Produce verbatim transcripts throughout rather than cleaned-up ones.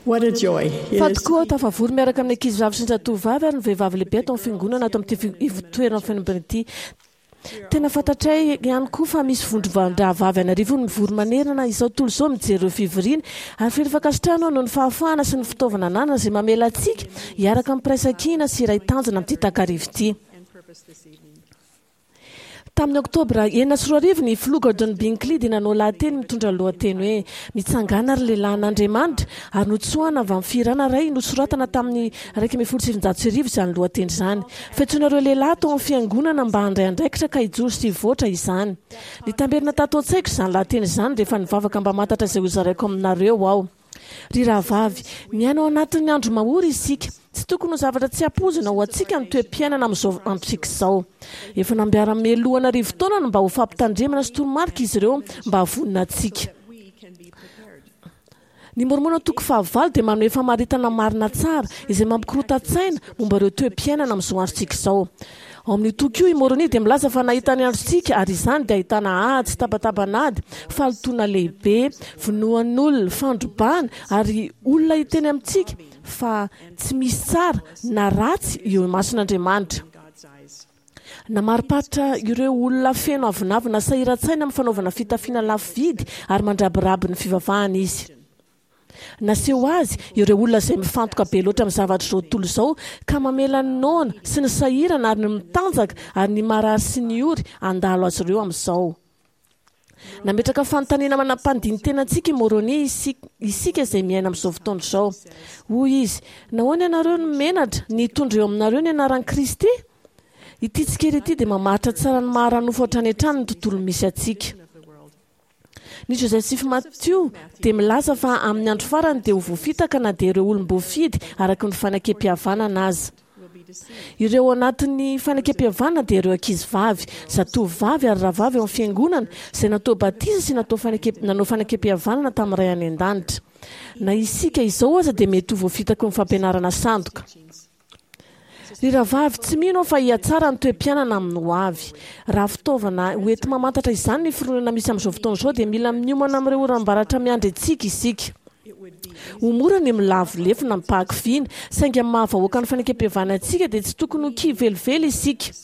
What a joy it Fa is tokoa aho tafavory miaraka amin'ny ankizivavy sy ny zatovovavy ary ny vehivavy lehibe ato amin'ny fiangonana ato amin'ity fi- ivotoeran'ny fiangonana ity. Tena fantatray ihany koa fa misy vondron-drahavavy an'arivony mivory manerana izao tontolo izao mijery ireo fivoriana, ary feno fankasitrahana aho noho ny fahafahana sy ny fitaovana ananana izay mamela antsika hiaraka amin'ny firaisankina sy iray tanjona amin'ity takariva ity. and purpose this evening. Tamin'ny oktobra enina sy roa arivo ny filoha Gordon Binkley dia nanao lahateny mitondra lohateny hoe "Mitsangàna ry lehilahin'Andriamanitra", ary notsoahana avy amin'ny fihirana iray nosoratana tamin'ny iraika ambin'ny folo sy sivinjato sy arivo izany lohateny izany. Fiantsoana ireo lehilahy tao amin'ny fiangonana mba handray andraikitra ka hijoro sy hivoatra izany. Nitamberina tato an-tsaiko izany lahateny izany rehefa nivavaka mba hamantatra izay hozaraiko aminareo aho. Ry rahavavy, miaina ao anatin'ny andro mahory isika. Tsy tokony ho zavatra tsy ampoizina ho antsika ny toe-piainana amin'izao androntsika izao. Efa nampiara mialoha an'arivo taona mba ho fampitandremana sy toromarika izy ireo mba hahavonona antsika. That we can be prepared. Ny Mormona toko fahavalo dia manome famaritana marina tsara izay mampikorontan-tsaina momba ireo toe-piainana amin'izao androntsika izao. Ao amin'io toko io i Moroni dia milaza fa nahita ny androntsika, ary izany dia ahitana ady sy tabataban'ady, fahalotoana lehibe, vonoan'olona, fandrobana, ary olona hiteny amintsika fa tsy misy tsara na ratsy eo imason'Andriamanitra. In God's eyes. Namariparitra ireo olona feno avonavona sahiran-tsaina amin'ny fanaovana fitafiana lafo vidy ary mandrabiraby ny fivavahana izy. Naseho azy ireo olona izay mifantoka be loatra amin'ny zavatra izao tontolo izao ka mamela ny noana sy ny sahirana ary ny mitanjaka ary ny marary sy ny ory handalo azy ireo amin'izao. Nametraka fanontaniana manam-pandini-tena antsika i Moroni isika izay miaina amin'izao fotoana izao. Hoy izy, nahoana ianareo no menatra ny hitondra eo aminareo ny anaran'i Kristy? Ity tsikera ity dia mamaritra tsara ny maha ara-nofo hatrany hatrany ny tontolo misy antsika. Ny Joseph Matthew dia milaza fa amin'ny andro farany dia ho voafitaka na dia ireo olom-boafidy araka ny fanekem-pihavanana aza. Ireo anatin'ny fanekem-pihavanana dia ireo ankizy vavy, zatovovavy ary rahavavy ao amin'ny fiangonana izay natao batisa sy natao faneke- nanao fanekem-pihavanana tamin'ny Ray any an-danitra. Na isika izao aza dia mety ho voafitaky ny fampianarana sandoka. Ry rahavavy, tsy mino aho fa hihatsara ny toe-piainana amin'ny ho avy. Raha fitaovana hoenti-mamantatra izany ny fironana misy amin'izao fotoana izao dia mila miomana amin'ireo oram-baratra miandry antsika isika. Ho mora ny milavo lefona amim-pahakiviana, saingy amin'ny maha-vahoaka ny fanekem-pihavanana antsika dia tsy tokony ho kivy velively isika.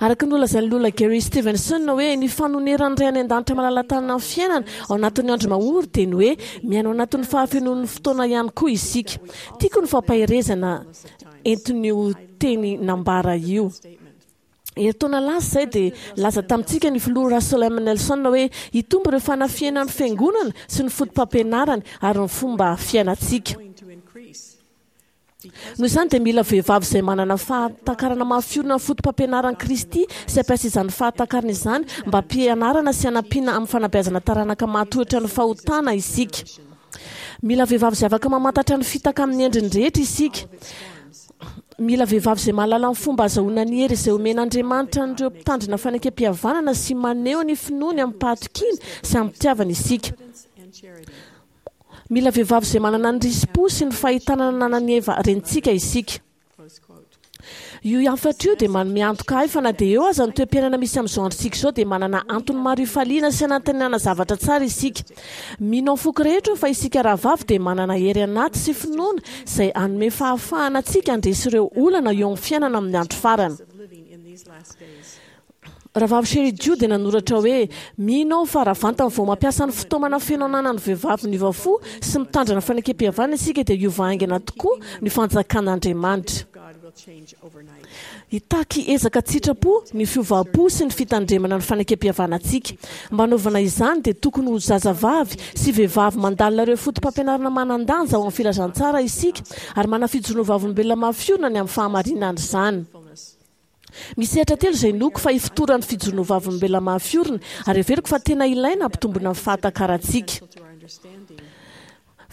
Araka ny nolazain'ny loholona Gary Stevenson hoe ny fanoneran'ny Ray any an-danitra malala-tanana ny fiainana ao anatin'ny andro mahory dia ny hoe miaina ao anatin'ny fahafenoan'ny fotoana ihany koa isika. Tiako ny fampaherezana entin'io teny nambara io. Herintaona lasa izay dia laza tamintsika ny filoha Russell M. Nelson hoe hitombo ireo fanafihana ny fiangonana sy ny foto-pampianarany ary ny fomba fiainantsika. Going to increase. Noho izany dia mila vehivavy izay manana fahatakarana mahafiorina ny foto-pampianaran'i Kristy sy hampiasa izany fahatakarana izany mba hampianarana sy hanampiana amin'ny fanabeazana taranaka mahatohitra ny fahotana isika. Mila vehivavy izay afaka mamantatra ny fitaka amin'ny endriny rehetra isika. Mila vehivavy izay mahalala ny fomba ahazoana ny hery izay omen'Andriamanitra an'ireo mpitandrina fanekem-pihavanana sy maneho ny finoany amin'ny-pahatokiana sy amin'ny-pitiavana isika. And charity. Mila vehivavy izay manana ny risi-po sy ny fahitana nananan'i Eva rentsika isika. Close quote. Io hafatra io dia manome antoka ahy fa na dia eo aza ny toe-piainana misy amin'izao androntsika izao dia manana antony maro hifaliana sy hanantenana zavatra tsara isika. Mino amin'ny foko rehetra aho fa isika rahavavy dia manana hery anaty sy finoana izay hanome fahafahana antsika handresy ireo olana eo amin'ny fiainana amin'ny andro farany. Of living in these last days. Rahavavy Sheri Dew dia nanoratra hoe mino aho fa raha vantany vao mampiasa ny fitaomana feno ananan'ny vehivavy niova fo sy mitandrina fanekem-pihavanana isika dia hiova haingana tokoa ny fanjakan'Andriamanitra. God will change overnight. Hitaky ezaka tsitrapo ny fiovam-po sy ny fitandremana ny fanekem-pihavanantsika. Mba hanaovana izany dia tokony ho zazavavy sy vehivavy mandalina ireo foto-pampianarana manan-danja ao amin'ny filazantsara isika ary manana fijoroana vavolombelona mahafiorina ny amin'ny fahamarinan'izany. Fullness. Misy sehatra telo izay inoako fa ifotoran'ny fijoroana vavolombelona mahafiorina ary heveriko fa tena ilaina hampitombona ny fahatakarantsika. To our understanding.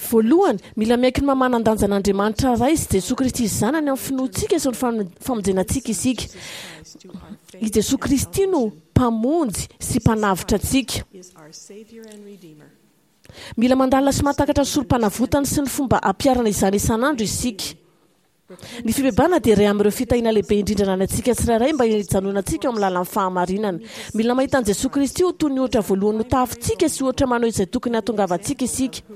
Voalohany, mila miaiky ny maha manan-danja an'Andriamanitra Ray sy Jesoa Kristy Zanany amin'ny finoantsika sy ny fam- famonjena antsika isika. To our faith I Jesoa Kristy no mpamonjy sy mpanavotra antsika. is our Savior and Redeemer. Mila mandalina sy mahatakatra ny sorom-panavotany sy ny fomba ampiharana izany isan'andro isika. Ny fibebahana dia iray amin'ireo fitahiana lehibe indrindra ananantsika tsirairay mba hijanonantsika eo amin'ny lalan'ny fahamarinana. Mila mahita an'i Jesoa Kristy ho toy ny ohatra voalohany notahafintsika sy ohatra maneho izay tokony hahatongavantsika isika.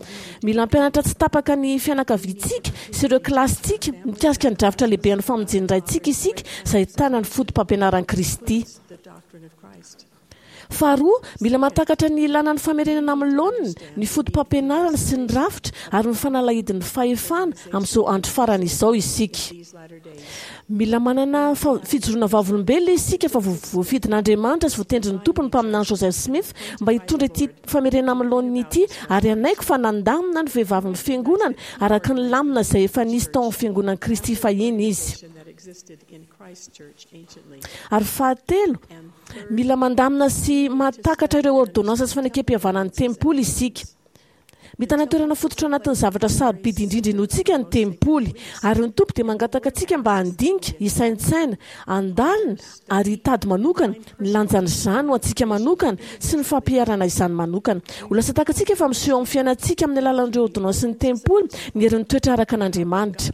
Mila mampianatra tsy tapaka ny fianakaviantsika sy ireo kilasintsika mikasika ny drafitra lehibe an'ny famonjen'ny Raintsika isika izay ahitana ny foto-pampianaran'i Kristy. The doctrine of Christ. Faharoa, mila mahatakatra ny ilàna ny famerenana amin'ny laoniny, ny foto-pampianarana sy ny rafitra ary ny fanalahidin'ny fahefana amin'izao andro farany izao isika. These latter days. Mila manana fa- fijoroana vavolombelona isika fa vo- voafidin'Andriamanitra sy voatendrin'ny Tompo ny mpaminany Joseph Smith mba hitondra ity famerenana amin'ny laoniny ity ary hanaiky fa nandamina ny vehivavin'ny fiangonana araka ny lamina izay efa nisy tao amin'ny fiangonan'i Kristy fahiny izy. That existed in Christ's church anciently. Ary fahatelo, And third, mila mandamina sy mahatakatra ireo ordonnansa sy fanekem-pihavanan'ny tempoly isika. Mitana toerana fototra anatin'ny zavatra sarobidy indrindra inoantsika ny tempoly ary ny Tompo dia mangataka antsika mba handinika, hisaintsaina, handalina ary hitady manokana ny lanjan'izany ho antsika manokana sy ny fampiharana izany manokana. Ho lasa takatsika fa miseho amin'ny fiainantsika amin'ny alalan'ireo ordonnansa ny tempoly ny herin'ny toetra araka an'Andriamanitra.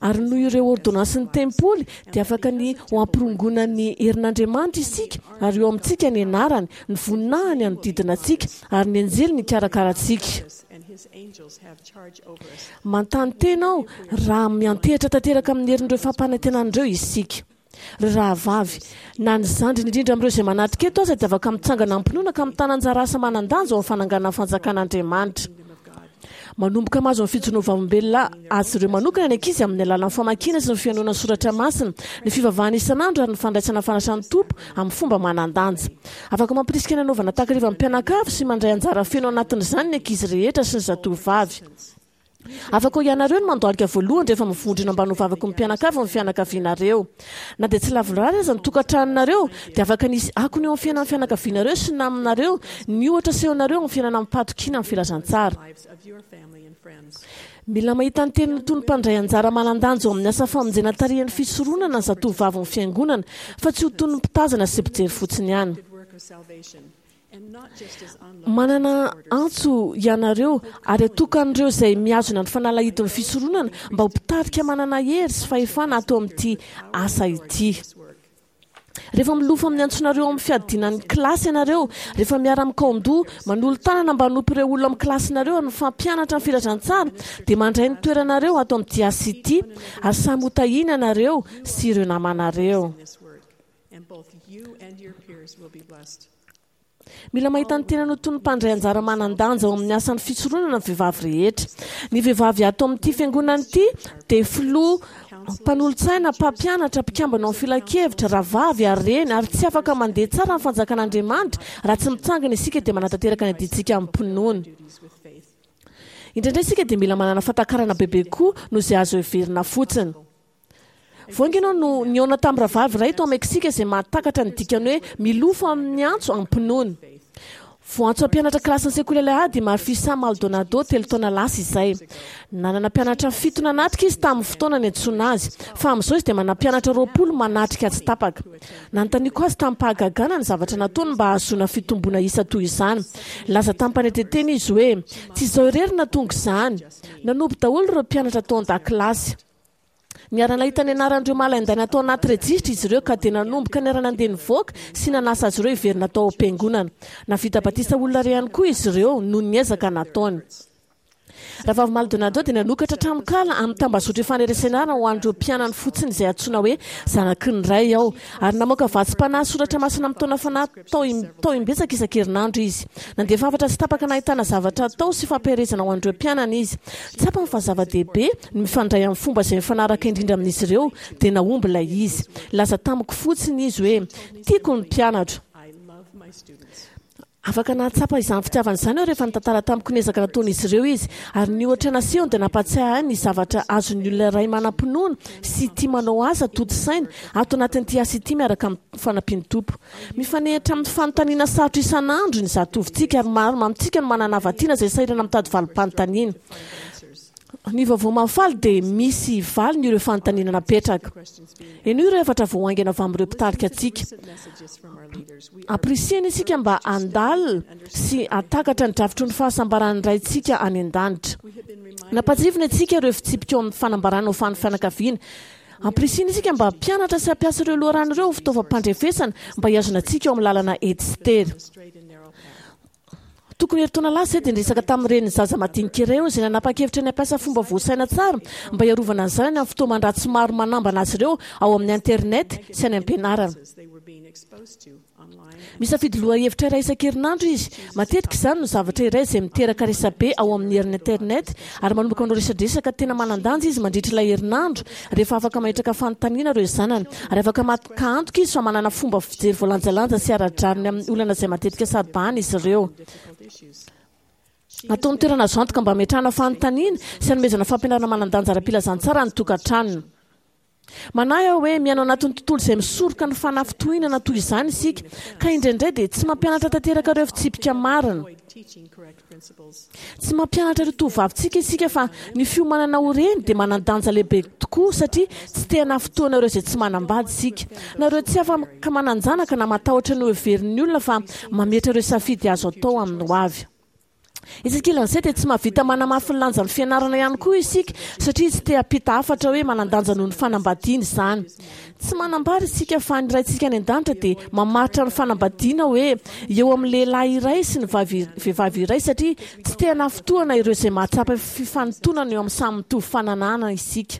Ary noho ireo ordonnansa ny tempoly dia afaka ny ho ampirongoana ny herin'Andriamanitra isika ary eo amintsika ny anarany, ny voninahiny hanodidina antsika ary ny anjely nikarakara antsika. us and his angels have charge over us. Manontany tena aho raha miantehitra tanteraka amin'ny herin'ireo fampanantenana ireo isika. Ry rahavavy, na ny zandriny indrindra amin'ireo izay manatrika eto aza dia afaka mitsangana am-pinoana ka mitana anjara asa manan-danja ao amin'ny fananganana fanjakan'Andriamanitra. Kingdom of God. Manomboka mahazo ny fijoroana vavolombelona azy ireo manokana ny ankizy amin'ny alalan'ny famakiana sy ny fihainoana ny soratra masina, ny fivavahana isan'andro ary ny fandraisana fanasan'ny Tompo amin'ny fomba manan-danja. Afaka mampirisika ny hanaovana takariva amin'ny mpianakavy sy mandray anjara feno anatin'izany ny ankizy rehetra sy ny zatovovavy. Afaka ho ianareo no mandohalika voalohany rehefa mivondrona mba hanovavaka ny mpianakavy ny fianakavianareo. Na dia tsy lavorary aza ny tokantranonareo dia afaka nisy akony eo amin'ny fiainan'ny fianakavianareo sy namanareo ny ohatra asehonareo amin'ny fiainana amim-pahatokiana amin'ny filazantsara. Lives of your family and friends. Mila mahita ny tenany toy ny mpandray anjara manan-danja ao amin'ny asa famonjena tarihan'ny fisoronana ny zatovovavin'ny fiangonana fa tsy ho toy ny mpitazana sy mpijery fotsiny ihany. Good work of salvation, and not just as onlookers Manana and supporters. antso ianareo ary atokan'ireo izay mihazona ny fanalahidin'ny fisoronana mba ho mpitarika manana hery sy fahefana ato amin'ity asa ity. This work. Rehefa milofo amin'ny antsonareo amin'ny fiadiana ny kilasy ianareo, rehefa miara-mikaondoha, manolo-tanana mba hanompo ireo olona amin'ny kilasinareo ary mifampianatra ny filazantsara, dia mandray ny toeranareo ato amin'ity asa ity ary samy ho tahiana ianareo sy ireo namanareo. In this work, and both you and your peers will be blessed. Mila mahita ny tenany ho toy ny mpandray anjara manan-danja ao amin'ny asan'ny fisoronana ny vehivavy rehetra. Ny vehivavy ato amin'ity fiangonana ity dia filoha mpanolotsaina, mpampianatra, mpikambana ao amin'ny filankevitra, rahavavy ary reny ary tsy afaka mandeha tsara ny fanjakan'Andriamanitra raha tsy mitsangana isika dia manatanteraka ny adidintsika amim-pinoana. Duties with faith. Indraindray isika dia mila manana fahatakarana bebe koa noho izay azo heverina fotsiny. Vao haingana ianao no nihaona tamin'ny rahavavy iray tao Meksika izay mahatakatra ny dikany hoe milofo amin'ny antso am-pinoana. Voantso hampianatra kilasin'ny sekoly alahady i Marfisa Maldonado telo taona lasa izay. Nanana mpianatra fito nanatrika izy tamin'ny fotoana niantsoana azy, fa amin'izao izy dia manana mpianatra roapolo manatrika tsy tapaka. Nanontaniako azy tamin'ny-pahagagana ny zavatra nataony mba hahazoana fitomboana isa toy izany. Nilaza tamim-panetren-tena izy hoe tsy izaho irery nahatonga izany. Nanompo daholo ireo mpianatra tao an-dakilasy. Niara-nahita ny anaran'ireo malaindaina tao anaty rejisitra izy ireo ka dia nanomboka niara-nandeha nivoaka sy nanasa azy ireo hiverina tao am-piangonana. Nahavita batisa olona iray ihany koa izy ireo noho ny ezaka nataony. Rahavavy Maldonado dia nanokatra tranonkala amin'ny tambazotra ifaneresenana ho an'ireo mpianany fotsiny izay antsoina hoe zanaky ny ray ao ary namoaka vatsim-panahy soratra masina amin'ny taona fanahy tao im- tao imbetsaka isan-kerinandro izy. Nandefa hafatra tsy tapaka nahitana zavatra atao sy fampiherezana ho an'ireo mpianany izy. Tsapany fa zava-dehibe ny mifandray amin'ny fomba izay mifanaraka indrindra amin'izy ireo dia nahomby ilay izy. Nilaza tamiko fotsiny izy hoe tiako ny mpianatro. I love my students. Afaka nahatsapa izany fitiavana izany aho rehefa nitantara tamiko ny ezaka nataon'izy ireo izy ary ny ohatra nasehony dia nampatsiahy ahy ny zavatra azon'ny olona iray manam-pinoana sy tia manao asa tontosaina ato anatin'ity asa ity miaraka amin'ny fanampian'ny Tompo. Mifanehitra amin'ny fanontaniana sarotra isan'andro ny zatovontsika ary maro amintsika no manana havana tiana izay sahirana mitady valim-panontaniana. Answers. Ny vaovao mahafaly dia misy valiny ireo fanontaniana napetraka. Henoy ireo hafatra vao haingana avy amin'ireo mpitarika antsika. Ampirisihana isika mba handalina sy hahatakatra ny drafitry ny fahasambaran'ny Raintsika any an-danitra. Nampahatsiahivina antsika ireo fitsipika ao amin'ny fanambarana ho fan'ny fianakaviana. Ampirisihana isika mba hampianatra sy hampiasa ireo loharano ireo ho fitaovam-pandrefesana mba hihazona antsika eo amin'ny lalana ety sy tery. Tokony herintaona lasa izay dia niresaka tamin'ny renin'ny zaza madinika iray aho izay nanapa-kevitra ny hampiasa fomba voasaina tsara mba hiarovana ny zanany amin'ny fitaoman-dratsy maro manambana azy ireo ao amin'ny internet sy any am-pianarana. Misafidy lohahevitra iray isan-kerinandro izy. Matetika izany no zavatra iray izay miteraka resabe ao amin'ny herin'ny internet ary manomboka manao resadresaka tena manan-danja izy mandritra ilay herinandro rehefa afaka mametraka fanontaniana ireo zanany ary afaka maka antoka izy fa manana fomba fijery voalanjalanja sy ara-drariny amin'ny olana izay matetika saro-bahana izy ireo. Ataony toerana azo antoka mba hametrahana fanontaniana sy hanomezana fampianarana manan-danja ara-pilazantsara ny tokantranony. Manahy aho hoe miaina ao anatin'ny tontolo izay misoroka ny fanafintohinana toy izany isika, ka indraindray dia tsy mampianatra tanteraka ireo fitsipika marina. Tsy mampianatra ireo tovovavintsika isika fa ny fiomanana ho reny dia manan-danja lehibe tokoa satria tsy te hanafintohina ireo izay tsy manambady isika, na ireo tsy afaka manan-janaka na matahotra ny hoheverin'ny olona fa mametra ireo safidy azo atao amin'ny hoavy. Etsy ankilan'izay dia tsy mahavita manamafy ny lanjan'ny fianarana ihany koa isika satria tsy te hampita hafatra hoe manan-danja noho ny fanambadiana izany. Tsy manambara isika fa ny Raintsika any an-danitra dia mamaritra ny fanambadiana hoe eo amin'ny lehilahy iray sy ny vavy vehivavy iray satria tsy te hanafintohina ireo izay mahatsapa fifanintonana eo amin'ny samy mitovy fananahana isika.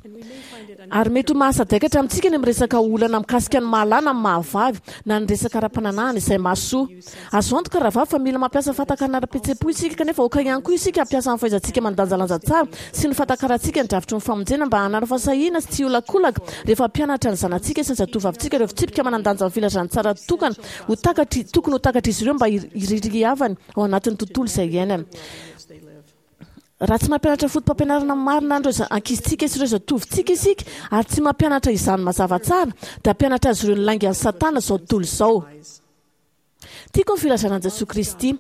Ary mety ho mahasadaikatra amintsika ny miresaka olana mikasika ny maha-lahy na ny maha-vavy na ny resaka ara-pananahana izay mahasoa. Azo antoka rahavavy fa mila mampiasa fahatakarana ara-pihetseham-po isika kanefa aoka ihany koa isika hampiasa ny fahaizantsika mandanjalanja tsara sy ny fahatakarantsika ny drafitry ny famonjena mba hanana fahasahiana sy tsy hiolakolaka rehefa hampianatra ny zanatsika sy ny zatovovavintsika ireo fitsipika manan-danja amin'ny filazantsara tokana ho takatry tokony ho takatr'izy ireo mba hiririavany ao anatin'ny tontolo izay iainany. Raha tsy mampianatra fotopampianarana marina an'ireo ankizintsika sy ireo zatovintsika isika ary tsy mampianatra izany mazava tsara, dia hampianatra azy ireo ny laingan'i Satana izao tontolo izao. Tiako ny filazana an'i Jesoa Kristy,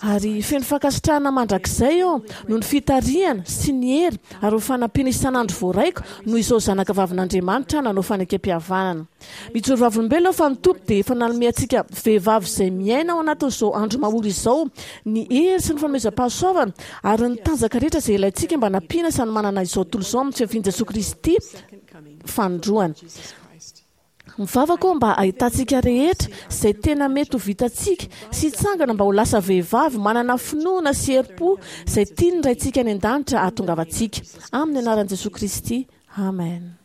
ary feno fankasitrahana mandrakizay aho noho ny fitarihana sy ny hery ary ny fanampiana isan'andro voaraiko noho izao zanaka vavin'Andriamanitra nanao fanekempihavanana. Mijoro vavolombelona aho fa ny Tompo dia efa nanome antsika vehivavy izay miaina ao anatin'izao andro mahory izao ny hery sy ny fanomezam-pahasoavana ary ny tanjaka rehetra izay ilaintsika mba hanampiana sy hanomanana izao tontolo izao amin'ny fiavian'i Jesoa Kristy fanindroany. Mivavaka aho mba hahitantsika rehetra izay tena mety ho vitantsika sy hitsangana mba ho lasa vehivavy manana finoana sy herim-po izay tian'ny Raintsika any an-danitra hahatongavantsika. Amin'ny anaran'i Jesoa Kristy. Amen.